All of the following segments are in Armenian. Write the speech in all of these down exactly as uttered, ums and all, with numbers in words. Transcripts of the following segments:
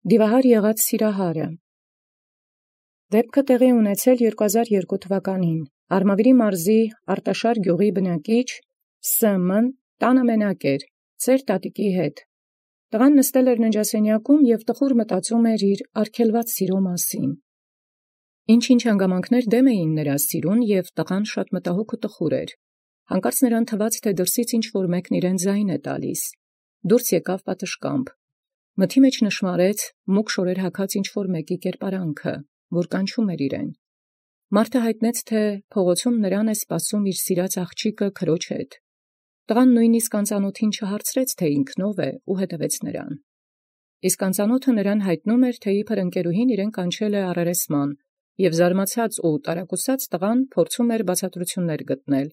Դիվահար եղած Սիրահարը։ Դեպքը տեղի ունեցել երկու հազար երկու թվականին Արմավիրի մարզի Արտաշար գյուղի բնակիչ Սը՛մն տանը մենակ էր, ծեր տատիկի հետ։ Տղան նստել էր ննջասենյակում և տխուր մտածում էր իր արգելված սիրո մասին։ Ինչ-ինչ հանգամանքներ դեմ էին նրա սիրուն, և տղան շատ մտահոգ ու տխուր էր։ Հանկարծ նրան թվաց, թե դրսից ինչ-որ մեկն իրեն ձայն է տալիս։ Դուրս եկավ պատշգամբ։ Մթի մեջ նշմարեց մուգ շորեր հագած ինչ-որ մեկի կերպարանքը, որ կանչում էր իրեն։ Մարդը հայտնեց, թե փողոցում նրան է սպասում իր սիրած աղջիկը քրոջ հետ։ Տղան նույնիսկ անծանոթին չհարցրեց, թե ինքն ով է, ու հետևեց նրան։ Իսկ անծանոթը նրան հայտնում էր, թե իբր ընկերուհին իրեն կանչել է առերեսման, և զարմացած ու տարակուսած տղան փորձում էր բացատրություններ գտնել։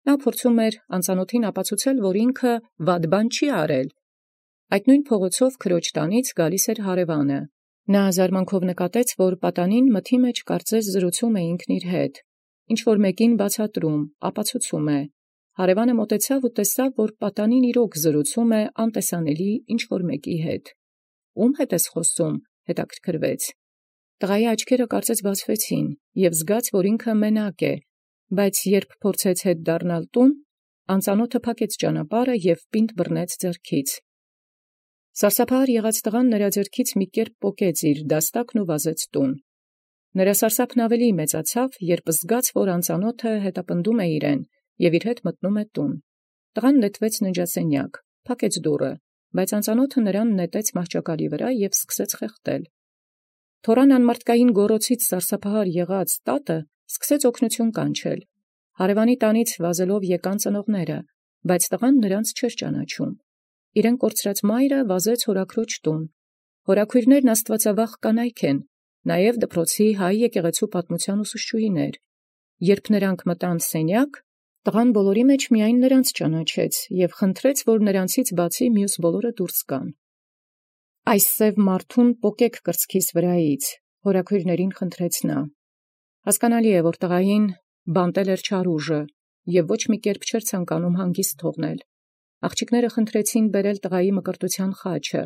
Նա փորձում էր անծանոթին ապացուցել, որ ինքը վատ բան չի արել։ Այդ նույն փողոցով քրոջ տանից գալիս էր հարևանը։ Նա զարմանքով նկատեց, որ պատանին մթի մեջ կարծես զրուցում է ինքն իր հետ, ինչ-որ մեկին բացատրում, ապացուցում է։ Հարևանը մոտեցավ ու տեսավ, որ պատանին իրոք զրուցում է անտեսանելի ինչ-որ մեկի հետ։ Ում հետ ես խոսում, հետաքրքրվեց։ Տղայի աչքերը կարծես բացվեցին, և զգաց, որ ինքը մենակ է, բայց երբ փորձեց հետ դառնալ տուն, անծանոթը փակեց ճանապարհը և պինդ բռնեց ձեռքից։ Սարսափահար եղած տղան նրա ձեռքից մի կերպ պոկեց իր դաստակն ու վազեց տուն։ Նրա սարսափն ավելի մեծացավ, երբ զգաց, որ անծանոթը հետապնդում է իրեն և իր հետ մտնում է տուն։ Տղան նետվեց ննջասենյակ, փակեց դուռը, բայց անծանոթը նրան նետեց մահճակալի վրա և սկսեց խեղդել։ Թորան անմարդկային գոռոցից սարսափահար եղած տատը սկսեց օգնություն կանչել։ Հարևանի տանից վազելով եկան ծնողները, բայց տղան նրանց չէր ճանաչում։ Իրեն կորցրած մայրը վազեց հորաքրոջ տուն։ Հորաքույրներն աստվածավախ կանայք են, նաև դպրոցի հայ եկեղեցու պատմության ուսուցչուհիներ։ Երբ նրանք մտան սենյակ, տղան բոլորի մեջ միայն նրանց ճանաչեց և խնդրեց, որ նրանցից բացի մյուս բոլորը դուրս գան։ «Այս սև մարդուն պոկեք կրծքիս վրայից», հորաքույրներին խնդրեց նա։ Հասկանալի է, որ տղային բանտել էր չար ուժը և ոչ մի կերպ չէր ցանկանում հանգիստ թողնել։ Աղջիկները խնդրեցին բերել տղայի մկրտության խաչը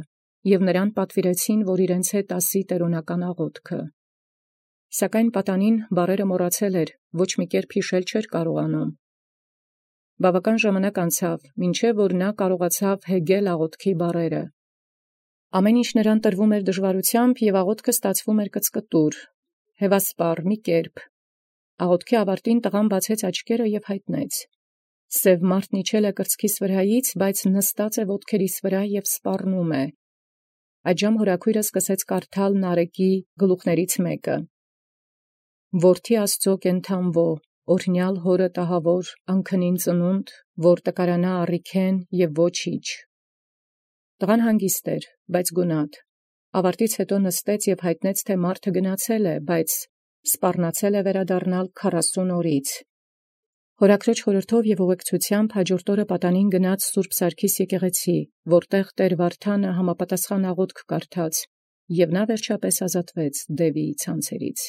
և նրան պատվիրեցին, որ իրենց հետ ասի տերունական աղոթքը։ Սակայն պատանին բառերը մոռացել էր, ոչ մի կերպ հիշել չէր կարողանում։ Բավական ժամանակ անցավ, մինչև որ նա կարողացավ հեգել աղոթքի բառերը։ Ամեն ինչ նրան տրվում էր դժվարությամբ, և աղոթքը ստացվում էր կծկտուր, հևասպառ մի կերպ։ Աղոթքի ավարտին տղան բացեց աչքերը և հայտնեց. «Սև մարդն իջել է կրծքիս վրայից, բայց նստած է ոտքերիս վրա և սպառնում է»։ Այդժամ հորաքույրը սկսեց կարդալ Նարեկի գլուխներից մեկը. «Որդի Աստծո կենդանվո, օրհնյալ հորը տահավոր, անքնին ծնունդ, որ տկարանա առիքեն և ոչիչ»։ Տղան հանգիստ էր, բայց գունատ։ Ավարտից հետո նստեց և հայտնեց, թե մարդը գնացել է, բայց սպառնացել է վերադառնալ քառասուն օրից։ Հորաքրոջ խորհրդով և ուղեկցությամբ հաջորդ օրը պատանին գնաց Սուրբ Սարգիս եկեղեցի, որտեղ տեր Վարդանը համապատասխան աղոթք կարդաց, և նա վերջապես ազատվեց դևի ցանցերից։